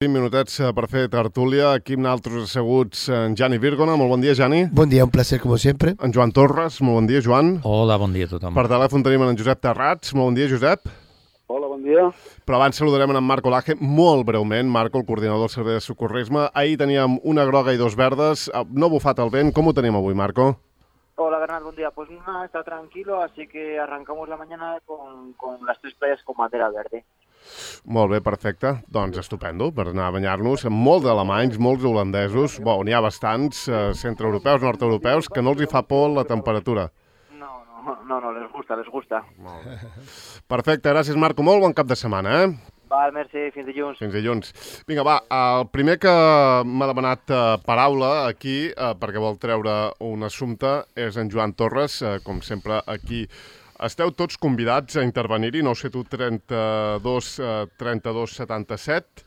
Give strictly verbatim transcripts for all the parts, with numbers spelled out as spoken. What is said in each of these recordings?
vint minutets per fer tertúlia. Aquí amb nosaltres asseguts en Jani Virgona. Molt bon dia, Jani. Bon dia, un placer, com sempre. En Joan Torres. Molt bon dia, Joan. Hola, bon dia a tothom. Per telèfon tenim en Josep Terrats. Molt bon dia, Josep. Hola, bon dia. Però abans saludarem en Marco Laje, molt breument. Marco, el coordinador del Servei de Socorrisme. Ahir teníem una groga i dos verdes. No ha bufat el vent. Com ho tenim avui, Marco? Hola, Bernat, buen día. Pues nada, está tranquilo, así que arrancamos la mañana con, con las tres playas con bandera verde. Molt bé, perfecte. Doncs estupendo, per anar a banyar-nos. Molts alemanys, molts holandesos, bo, n'hi ha bastants, eh, centreeuropeus, nord-europeus, que no els hi fa por la temperatura. No, no, no, no, les gusta, les gusta. Molt bé. Perfecte, gràcies, Marco. Molt bon cap de setmana, eh? Val, merci, fins dilluns. Fins dilluns. Vinga, va, el primer que m'ha demanat eh, paraula aquí, eh, perquè vol treure un assumpte, és en Joan Torres, eh, com sempre aquí. Esteu tots convidats a intervenir-hi, nou set u trenta-dos trenta-dos setanta-set,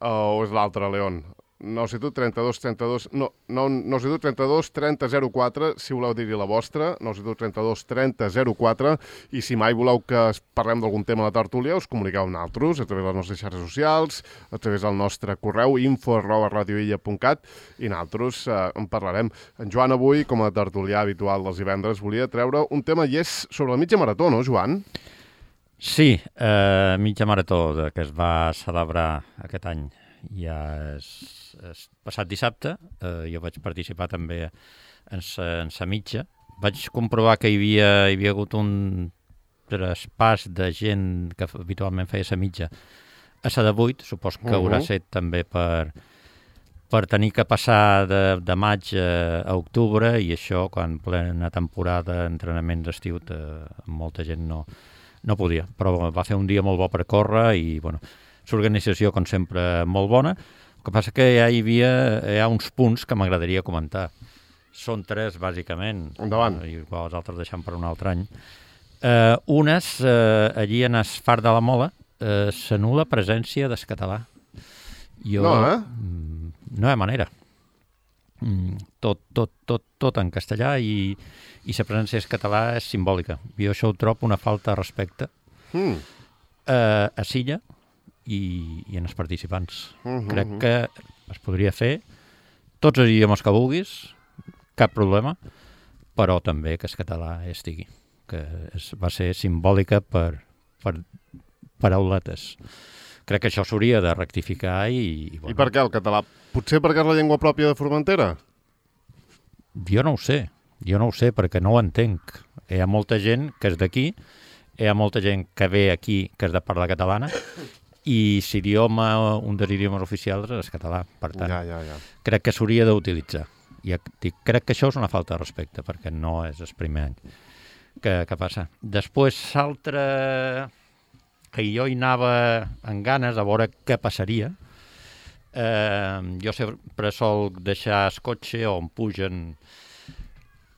o és l'altre, León? nou set u trenta-dos trenta-dos... No, nou set u trenta-dos trenta zero quatre, si voleu dir-hi la vostra, nou set u trenta-dos trenta zero quatre, i si mai voleu que parlem d'algun tema a la tertúlia, us comuniqueu amb nosaltres, a través de les nostres xarxes socials, a través del nostre correu, info arroba radioilla punt cat, i nosaltres eh, en parlarem. En Joan avui, com a tertulià habitual dels divendres, volia treure un tema, i és sobre la mitja marató, no, Joan? Sí, eh, mitja marató que es va celebrar aquest any. Ja és, és passat dissabte, eh, jo vaig participar també en sa, en sa mitja. Vaig comprovar que hi havia, hi havia hagut un traspàs de gent que habitualment feia sa mitja a sa de vuit, supos que uh-huh. haurà set també per, per tenir que passar de, de maig a, a octubre, i això quan plena temporada d'entrenament d'estiu eh, molta gent no, no podia. Però va fer un dia molt bo per córrer i, bueno, l'organització, com sempre, molt bona. El que passa que ja hi havia hi ha uns punts que m'agradaria comentar. Són tres, bàsicament. Endavant. I igual els altres deixem per un altre any. Eh, unes, eh, allí en el Far de la Mola, eh, s'anul·la presència del català. Jo, no, eh? No hi ha manera. Tot, tot, tot, tot en castellà, i, i la presència del català és simbòlica. Jo això ho trobo una falta de respecte mm. eh, a Silla, I, i en els participants. Uh-huh. Crec que es podria fer tots els idiomes que vulguis, cap problema, però també que el català estigui, que es, va ser simbòlica per, per parauletes. Crec que això s'hauria de rectificar i... I, bueno. I per què el català? Potser perquè és la llengua pròpia de Formentera? Jo no ho sé, jo no ho sé perquè no ho entenc. Hi ha molta gent que és d'aquí, hi ha molta gent que ve aquí que és de parla catalana, i l'idioma, un dels idiomes oficials és el català. Per tant, ja, ja, ja. crec que s'hauria d'utilitzar. I crec que això és una falta de respecte, perquè no és el primer any que, que passa. Després, l'altre, que jo hi anava amb ganes a veure què passaria, eh, jo sempre sol deixar el cotxe on pugen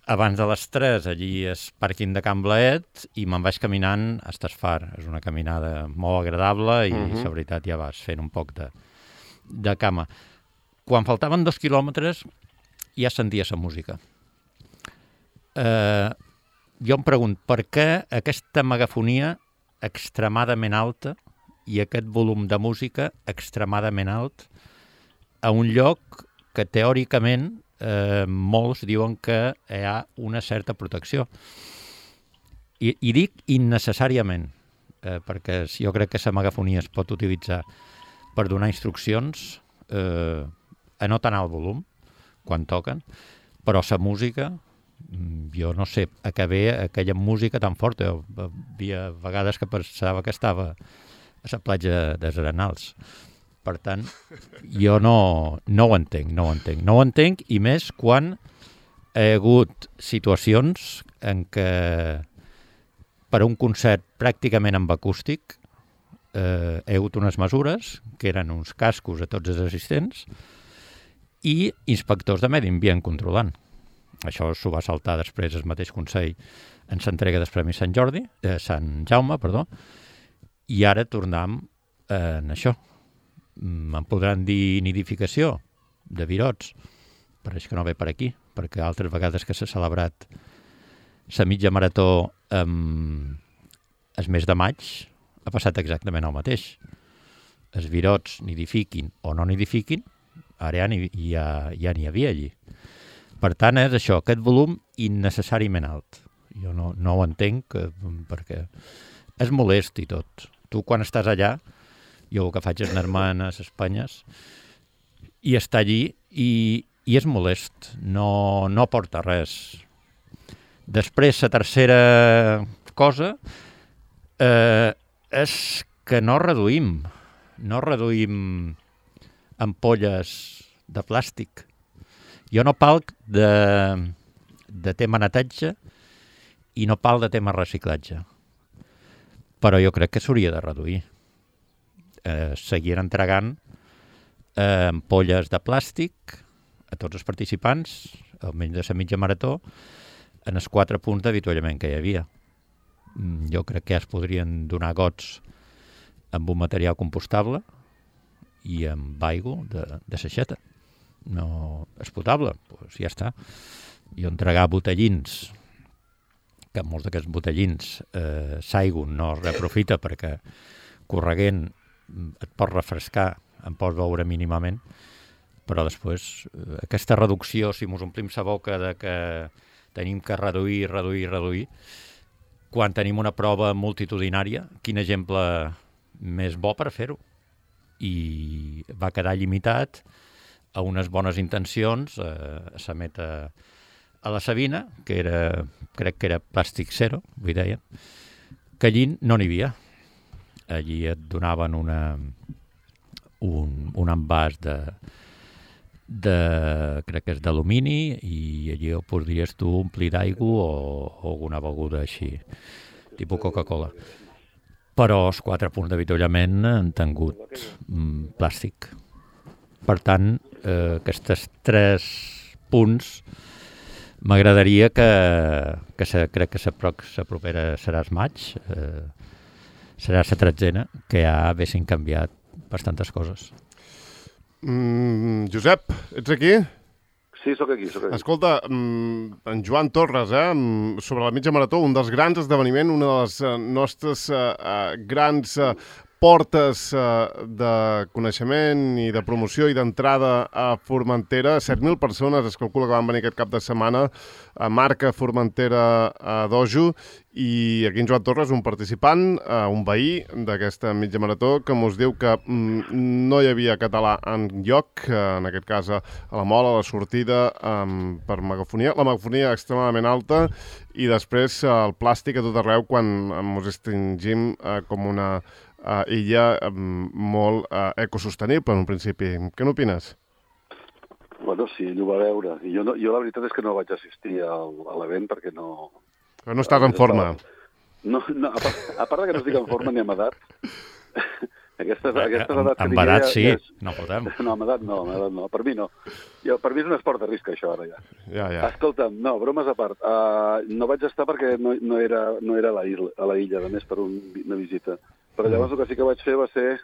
abans de les tres, allí és pàrquing de Can Blaet, i me'n vaig caminant a Estasfar. És una caminada molt agradable i, uh-huh. la veritat, ja vas fent un poc de, de cama. Quan faltaven dos quilòmetres, ja sentia la música. Eh, jo em pregunto, per què aquesta megafonia extremadament alta i aquest volum de música extremadament alt a un lloc que teòricament Eh, molts diuen que hi ha una certa protecció. I, i dic innecessàriament, eh, perquè jo crec que la megafonia es pot utilitzar per donar instruccions eh, a no tant alt volum quan toquen, però la música, jo no sé a què ve aquella música tan forta. Hi havia vegades que pensava que estava a la platja dels Arenals. Per tant, jo no, no ho entenc, no ho entenc. No ho entenc, i més quan hi ha hagut situacions en què per a un concert pràcticament amb acústic eh, hi ha hagut unes mesures, que eren uns cascos a tots els assistents, i inspectors de medi ambient controlant. Això s'ho va saltar després el mateix Consell en l'entrega dels Premis Sant Jordi, eh, Sant Jaume, perdó, i ara tornem eh, en això. Em podran dir nidificació de virots, pareix que no ve per aquí, perquè altres vegades que s'ha celebrat la mitja marató el mes de maig ha passat exactament el mateix. els virots nidifiquin o no nidifiquin, ara ja n'hi ja, ja n'hi havia allí. Per tant, és això, aquest volum innecessàriament alt. Jo no, no ho entenc eh, perquè és molest i tot. Tu quan estàs allà, jo el que faig és anar-me a les Espanyes i estar allí i, i és molest, no, no aporta res. Després, la tercera cosa eh, és que no reduïm, no reduïm ampolles de plàstic. Jo no parlo de, de tema netatge i no parlo de tema reciclatge, però jo crec que s'hauria de reduir. Eh, seguir entregant eh, ampolles de plàstic a tots els participants, almenys de la mitja marató, en els quatre punts d'avituallament que hi havia. Jo crec que ja es podrien donar gots amb un material compostable i amb aigua de, de seixeta. No és potable, doncs ja està. I entregar botellins, que molts d'aquests botellins eh, s'aigua no es reaprofita perquè correguent et pots refrescar, en pots beure mínimament, però després eh, aquesta reducció, si mos omplim la boca de que tenim que reduir, reduir, reduir, quan tenim una prova multitudinària, quin exemple més bo per fer-ho? I va quedar limitat a unes bones intencions, eh, a la meta a la Sabina, que era, crec que era plàstic zero, vull deia, que allí no n'hi havia. Allí et donaven una, un, un envàs de, de, crec que és d'alumini, i allí ho podries tu omplir d'aigua o, o alguna beguda així, tipus Coca-Cola. Però els quatre punts d'avituallament han tingut mm, plàstic. Per tant, eh, aquests tres punts m'agradaria que, que se, crec que la propera serà el maig, eh, serà la tretzena, que ja haguessin canviat bastantes coses. Mm, Josep, ets aquí? Sí, sóc aquí, sóc aquí. Escolta, en Joan Torres, eh, sobre la mitja marató, un dels grans esdeveniments, una de les nostres uh, grans uh, portes uh, de coneixement i de promoció i d'entrada a Formentera. set mil persones es calcula que van venir aquest cap de setmana a Marca Formentera a Dojo, i aquí en Joan Torres, un participant, uh, un veí d'aquesta mitja marató, que mos diu que mm, no hi havia català en lloc, uh, en aquest cas a la mola, a la sortida, um, per megafonia. La megafonia extremadament alta, i després uh, el plàstic a tot arreu quan mos extingim uh, com una Uh, illa um, molt uh, ecosostenible en un principi. Què n'opines? Bueno, sí, ell ho va veure. I jo, no, jo la veritat és que no vaig assistir al, a l'event perquè no... Però no estàs en forma. No, no, a, part, a part que no estic en forma ni amb edat. Aquestes, aquestes edats que amb edat sí, ja és... no podem. No, amb edat no, amb edat no. Per mi no. Jo, per mi és un esport de risc, això, ara ja. Ja, ja. Escolta'm, no, bromes a part. Uh, no vaig estar perquè no, no, era, no era a la, illa, a la illa, a més per un, una visita. Però llavors el que sí que vaig fer va ser...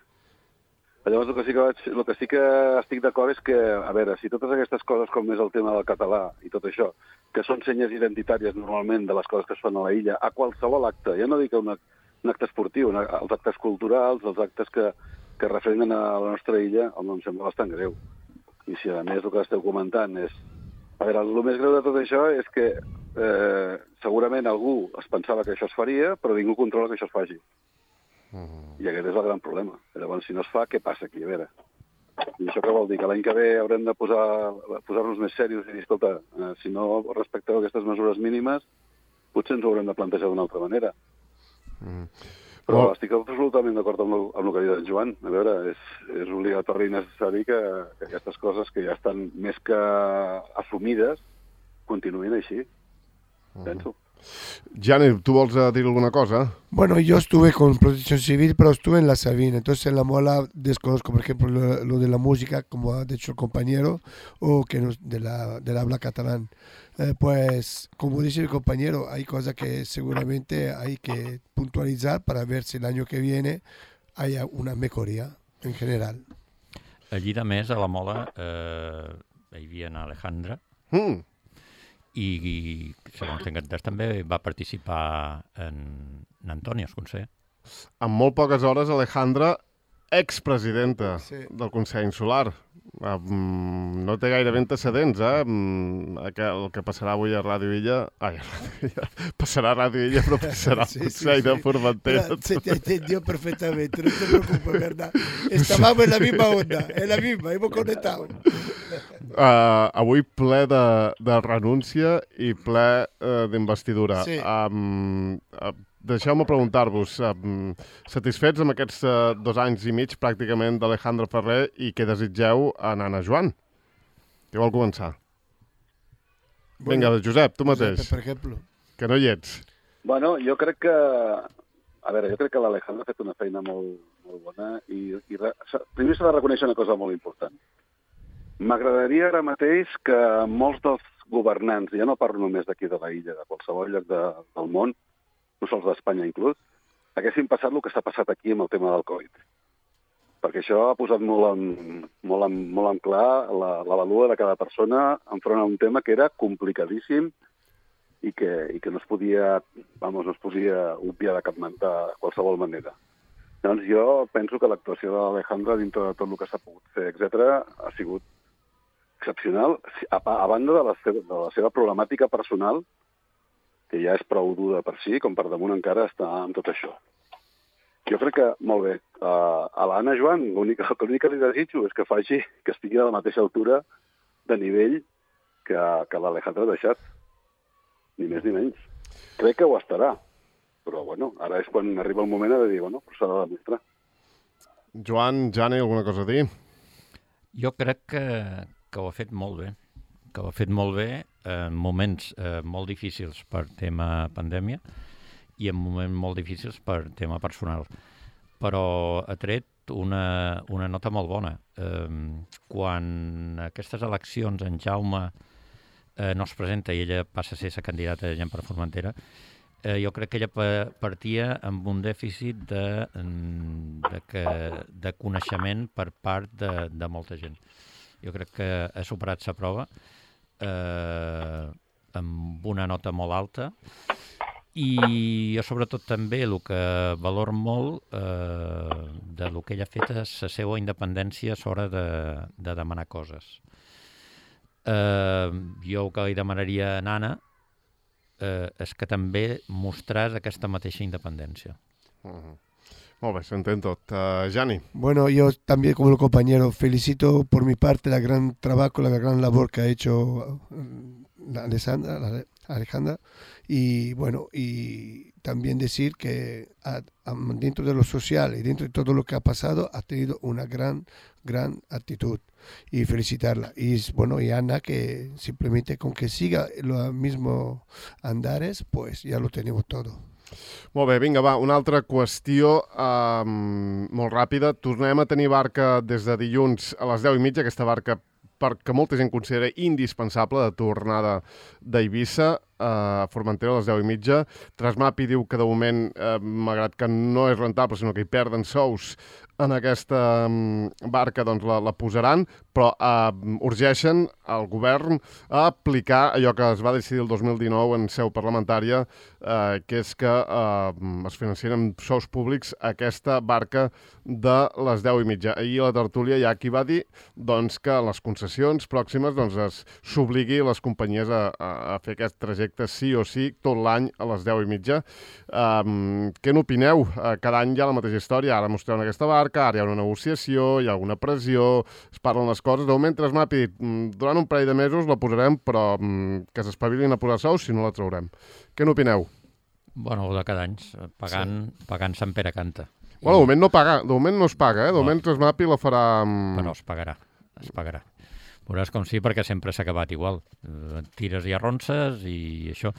Llavors el que sí que, vaig... el que, sí que estic d'acord és que, a veure, si totes aquestes coses com és el tema del català i tot això, que són senyes identitàries normalment de les coses que es fan a la illa, a qualsevol acte, ja no dic un, un acte esportiu, una, els actes culturals, els actes que, que refrenen a la nostra illa, home, em sembla bastant greu. I si a més el que esteu comentant és... A veure, el més greu de tot això és que eh, segurament algú es pensava que això es faria, però ningú controla que això es faci. Uh-huh. I aquest és el gran problema. Llavors, si no es fa, què passa aquí? A veure. I això què vol dir? Que l'any que ve haurem de posar, posar-nos més serios i dir, escolta, eh, si no respecteu aquestes mesures mínimes, potser ens ho haurem de plantejar d'una altra manera. Uh-huh. Però oh. estic absolutament d'acord amb, lo, amb el que ha dit en Joan. A veure, és, és obligatori i necessari que, que aquestes coses que ja estan més que assumides continuïn així, uh-huh. penso. Gianni, ¿tú vols decir alguna cosa? Bueno, yo estuve con Protección Civil, pero estuve en la Sabina. Entonces en la mola desconozco, por ejemplo, lo, lo de la música, como ha dicho el compañero, o que nos, de la, del habla catalán. Eh, pues, como dice el compañero, hay cosas que seguramente hay que puntualizar para ver si el año que viene haya una mejoría en general. Allí, de més, a la mola, eh, hi havia en Alejandra, Mm. i, i segons tinc entès també va participar en, en Antoni Esconsé. En molt poques hores Alejandra expresidenta Sí. del Consell Insular. Um, no té gaire antecedents, eh? Um, el que passarà avui a Ràdio Illa... Ai, a Ràdio Illa. Passarà a Ràdio Illa, però passarà Sí, al sí, Consell sí. de Formentera. Mira, se te entendió perfectamente, no te preocupes, ¿verdad? Estábamos en la misma onda, en la misma, hemos conectado. Uh, avui ple de, de renúncia i ple uh, d'investidura. Sí. Um, uh, Deixeu-me preguntar-vos, um, satisfets amb aquests uh, dos anys i mig pràcticament d'Alejandro Ferrer i què desitgeu a Nana Joan? Qui vol començar? Vinga, Josep, tu mateix, Per exemple. que no hi ets. Bueno, jo crec que... A veure, jo crec que l'Alejandro ha fet una feina molt, molt bona i, i re... primer s'ha de reconèixer una cosa molt important. M'agradaria ara mateix que molts dels governants, ja no parlo només d'aquí de la illa, de qualsevol lloc de, del món, no sols d'Espanya inclús, haguessin passat el que s'ha passat aquí amb el tema del Covid. Perquè això ha posat molt en, molt en, molt en clar la, la valua de cada persona enfront a un tema que era complicadíssim i que, i que no es podia, vamos, no es podia obviar de cap de qualsevol manera. Doncs jo penso que l'actuació de l'Alejandro dintre de tot el que s'ha pogut fer, etcètera, ha sigut excepcional, a, a banda de la, seva, de la seva problemàtica personal, que ja és prou dura per si, com per damunt encara està amb tot això. Jo crec que, molt bé, uh, a l'Anna Joan, l'únic que li desitjo és que faci que estigui a la mateixa altura de nivell que, que l'Alejandro ha deixat. Ni més ni menys. Crec que ho estarà. Però, bueno, ara és quan arriba el moment de dir, bueno, però s'ha de demostrar. Joan, Jani, alguna cosa a dir? Jo crec que, que ho ha fet molt bé. que ho ha fet molt bé en moments eh, molt difícils per tema pandèmia i en moments molt difícils per tema personal. Però ha tret una, una nota molt bona. Eh, quan aquestes eleccions en Jaume eh, no es presenta i ella passa a ser la candidata de Gent per Formentera, eh, jo crec que ella partia amb un dèficit de, de, que, de coneixement per part de, de molta gent. Jo crec que ha superat la prova eh, amb una nota molt alta i jo sobretot també el que valor molt eh, de lo que ella ha fet és la seva independència a l'hora de, de demanar coses. Eh, jo el que li demanaria a Nana eh, és que també mostràs aquesta mateixa independència. Uh-huh. Molt bé, s'entén tot. Uh, Jani. Bueno, yo también como compañero felicito por mi parte la gran trabajo, la gran labor que ha hecho la Alessandra, la Alejandra, y bueno, y también decir que a, a, dentro de lo social y dentro de todo lo que ha pasado ha tenido una gran, gran actitud y felicitarla. Y bueno, y Ana, que simplemente con que siga los mismos andares, pues ya lo tenemos todo. Molt bé, vinga, va, una altra qüestió um, molt ràpida. Tornem a tenir barca des de dilluns a les deu i mitja, aquesta barca perquè molta gent considera indispensable de tornada d'Eivissa a Formentera a les deu i mitja. Trasmapi diu que de moment, eh, malgrat que no és rentable, sinó que hi perden sous en aquesta barca, doncs la, la posaran, però eh, urgeixen el govern a aplicar allò que es va decidir el dos mil dinou en seu parlamentària, eh, que és que eh, es financien amb sous públics aquesta barca de les deu i mitja. Ahir a la tertúlia hi ha qui va dir doncs, que les concessions pròximes doncs, s'obligui les companyies a, a, a fer aquest trajecte sí o sí tot l'any a les deu i mitja. Um, què n'opineu? Uh, cada any hi ha la mateixa història. Ara mostreu aquesta barca, ara hi ha una negociació, hi ha alguna pressió, es parlen les coses. De moment, Trasmapi, durant un parell de mesos la posarem, però um, que s'espavilin a posar sous si no la traurem. Què n'opineu? Bueno, de cada any, pagant, sí. pagant Sant Pere Canta. Bueno, de moment no, paga, de moment no es paga, eh? De moment Trasmapi la farà... Um... Però es pagarà, es pagarà. Veuràs com sí, perquè sempre s'ha acabat igual. Uh, tires i arronses i això.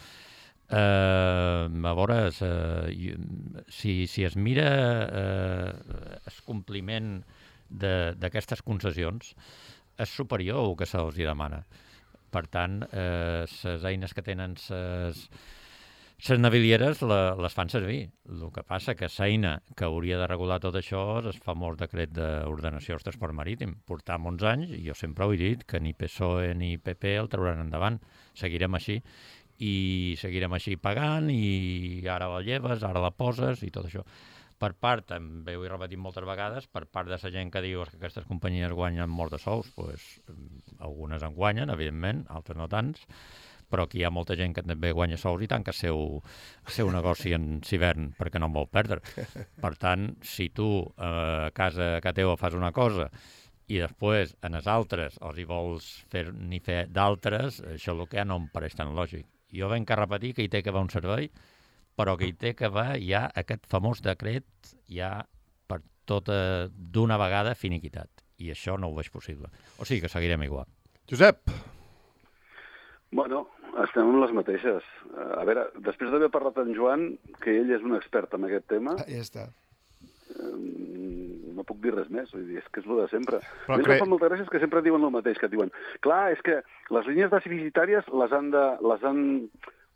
Uh, a veure, uh, si, si es mira uh, el compliment d'aquestes concessions, és superior al que se'ls demana. Per tant, les uh, eines que tenen les les navilieres la, les fan servir. El que passa que l'eina que hauria de regular tot això és el famós decret d'ordenació del transport marítim. Portam uns anys, i jo sempre ho he dit, que ni P S O E ni P P el trauran endavant. Seguirem així. I seguirem així pagant, i ara la lleves, ara la poses, i tot això. per part, també ho he repetit moltes vegades, per part de la gent que diu que aquestes companyies guanyen molt de sous, pues, algunes en guanyen, evidentment, altres no tants, però aquí hi ha molta gent que també guanya sous i tant que el seu, el seu negoci en Civern, perquè no en vol perdre. Per tant, si tu eh, a casa que teva fas una cosa i després en els altres els hi vols fer ni fer d'altres, això el que no em pareix tan lògic. Jo venc a repetir que hi té que haver un servei, però que hi té que haver ja aquest famós decret ja per tota d'una vegada finiquitat. I això no ho veig possible. O sigui que seguirem igual. Josep. Bueno, estem amb les mateixes. A veure, després d'haver parlat amb Joan, que ell és un expert en aquest tema, Ah, ja està. no puc dir res més, vull dir, és que és el de sempre. Però A mi cre- em fa molta gràcia que sempre diuen el mateix, que diuen, clar, és que les línies deficitàries les han de, les han,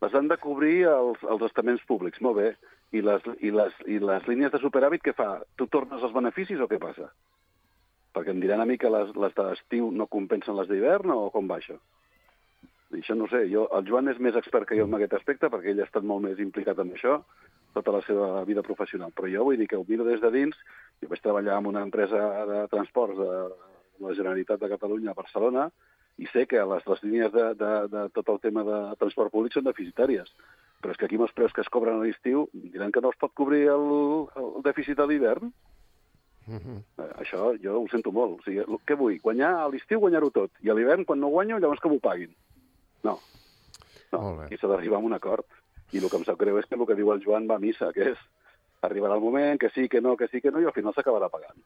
les han de cobrir els, els estaments públics, molt bé, i les, i, les, i les línies de superàvit, què fa? Tu tornes els beneficis o què passa? Perquè em diran a mi que les, les d'estiu no compensen les d'hivern o com va això? I això no ho sé, jo, el Joan és més expert que jo en aquest aspecte perquè ell ha estat molt més implicat en això tota la seva vida professional. Però jo vull dir que ho miro des de dins. Jo vaig treballar en una empresa de transports de la Generalitat de Catalunya a Barcelona i sé que les, les línies de, de, de tot el tema de transport públic són deficitàries. Però és que aquí amb els preus que es cobren a l'estiu diran que no es pot cobrir el, el dèficit de l'hivern. Uh-huh. Eh, això jo ho sento molt. O sigui, què vull? Guanyar a l'estiu, guanyar-ho tot. I a l'hivern, quan no guanyo, llavors que m'ho paguin. No. No, Molt bé. aquí s'ha d'arribar a un acord. I el que em sap greu és que el que diu el Joan va a missa, que és arribarà el moment, que sí, que no, que sí, que no, i al final s'acabarà pagant.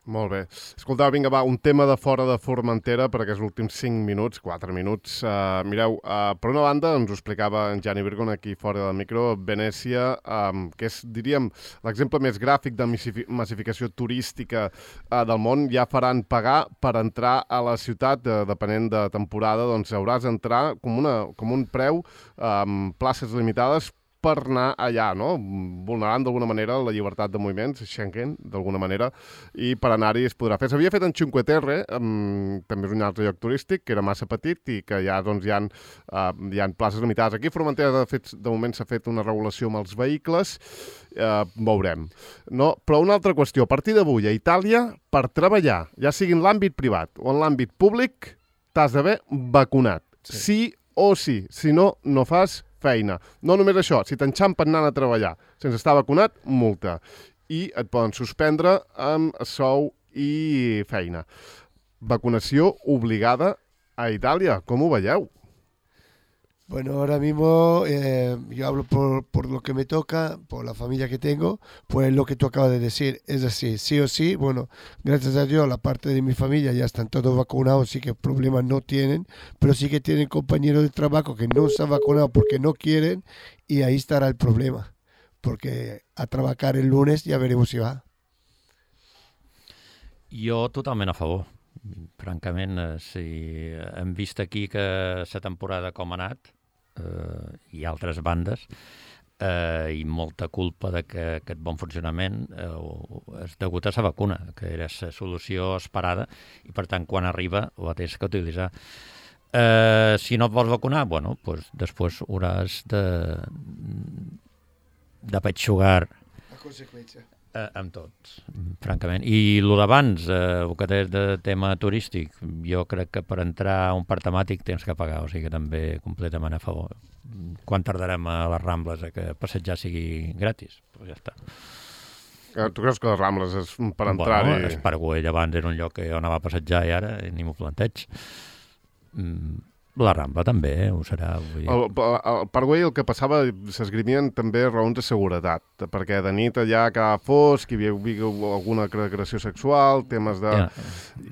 Molt bé. Escoltau, vinga, va, un tema de fora de Formentera, perquè els últims cinc minuts, quatre minuts. Uh, mireu, uh, per una banda, ens ho explicava en Gianni Virgon aquí fora del micro, Venècia, um, que és, diríem, l'exemple més gràfic de massificació turística uh, del món, ja faran pagar per entrar a la ciutat, uh, depenent de temporada, doncs hauràs d'entrar com, una, com un preu, um, places limitades, per anar allà, no? Vulnerant d'alguna manera la llibertat de moviments, Schengen, d'alguna manera, i per anar-hi es podrà fer. S'havia fet en Cinque Terre, um, també és un altre lloc turístic, que era massa petit i que ja doncs, hi ha, uh, hi ha places limitades. Aquí a Formentera, de, fet, de moment, s'ha fet una regulació amb els vehicles, uh, veurem. No? Però una altra qüestió, a partir d'avui a Itàlia, per treballar, ja sigui en l'àmbit privat o en l'àmbit públic, t'has d'haver vacunat. Sí. sí o sí, si no, no fas feina. No només això, si t'enxampen anant a treballar sense estar vacunat, multa. I et poden suspendre amb sou i feina. Vacunació obligada a Itàlia. Com ho veieu? Bueno, ahora mismo eh, yo hablo por, por lo que me toca, por la familia que tengo, pues lo que tú acabas de decir, es así, sí o sí, bueno, gracias a Dios la parte de mi familia ya están todos vacunados, sí que problemas no tienen, pero sí que tienen compañeros de trabajo que no se han vacunado porque no quieren y ahí estará el problema, porque a trabajar el lunes ya veremos si va. Jo totalment a favor. Francament, eh, si hem vist aquí que la temporada com ha anat, eh, i altres bandes, eh, i molta culpa de que aquest bon funcionament eh, és degut a la vacuna, que era la solució esperada, i per tant, quan arriba, ho tens que utilitzar. Eh, si no et vols vacunar, bueno, pues després hauràs de, de petxugar La conseqüència. Eh, amb tots, francament. I el d'abans, eh, el que és de tema turístic, jo crec que per entrar a un parc temàtic tens que pagar, o sigui que també completament a favor. Quan tardarem a les Rambles a que passejar sigui gratis? Pues ja està. Eh, tu creus que les Rambles és per entrar-hi? Bueno, Esparguell abans era un lloc que jo anava a passejar i ara ni m'ho planteig. Mm, la Rambla també, eh, ho serà. Vull dir. El, el Parkway el que passava, s'esgrimien també raons de seguretat, perquè de nit allà quedava fosc, hi havia alguna agressió sexual, temes de... Ja.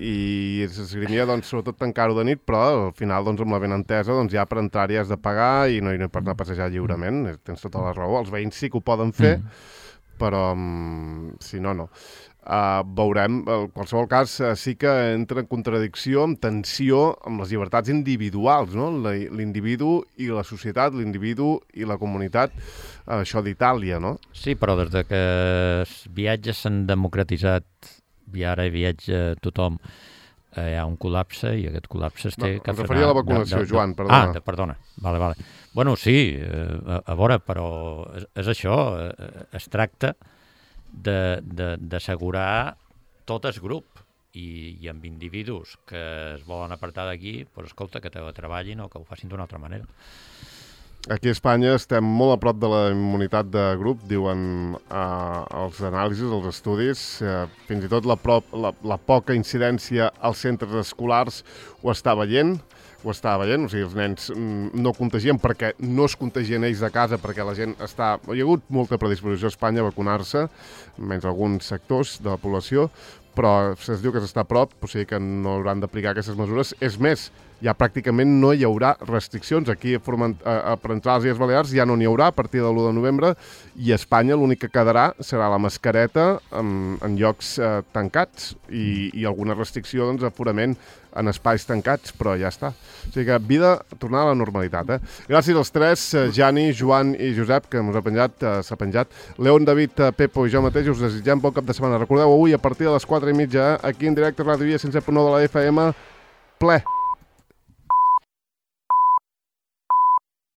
I s'esgrimia, doncs, sobretot tancar-ho de nit, però al final, doncs, amb la benentesa, doncs, ja per entrar-hi has de pagar i no, i no per anar a passejar lliurement, tens tota la raó. Els veïns sí que ho poden fer, mm. però um, si no, no. Uh, veurem, en qualsevol cas uh, sí que entra en contradicció, en tensió amb les llibertats individuals, no? L'individu i la societat, l'individu i la comunitat, uh, això d'Itàlia, no? Sí, però des de que els viatges s'han democratitzat i ara hi viatja tothom, hi ha un col·lapse i aquest col·lapse es té no, que frenar... Em referia a la vacunació, de, de, Joan, perdona. Ah, de, perdona. Vale, vale. Bueno, sí, a, a veure, però és, és això, es tracta d'assegurar tot el grup i, i amb individus que es volen apartar d'aquí, doncs escolta, que treballin o que ho facin d'una altra manera. Aquí a Espanya estem molt a prop de la immunitat de grup, diuen eh, els anàlisis, els estudis, eh, fins i tot la, prop, la, la poca incidència als centres escolars ho està veient, ho està veient, o sigui, els nens no contagien perquè no es contagien ells de casa, perquè la gent està... Hi ha hagut molta predisposició a Espanya a vacunar-se, menys alguns sectors de la població, però es diu que s'està a prop, o sigui que no hauran d'aplicar aquestes mesures. És més, ja pràcticament no hi haurà restriccions. Aquí a, a, per entrar a les Illes Balears ja no n'hi haurà a partir de l'u de novembre i a Espanya l'únic que quedarà serà la mascareta en, en llocs eh, tancats i, i alguna restricció, doncs, aforament en espais tancats, però ja està. O sigui que vida, tornar a la normalitat. Eh? Gràcies als tres, eh, Jani, Joan i Josep, que ens ha penjat, eh, s'ha penjat. León, David, eh, Pepo i jo mateix us desitgem bon cap de setmana. Recordeu, avui a partir de les quatre i mitja, eh, aquí en directe a Ràdio Via cent set punt nou de la F M, ple.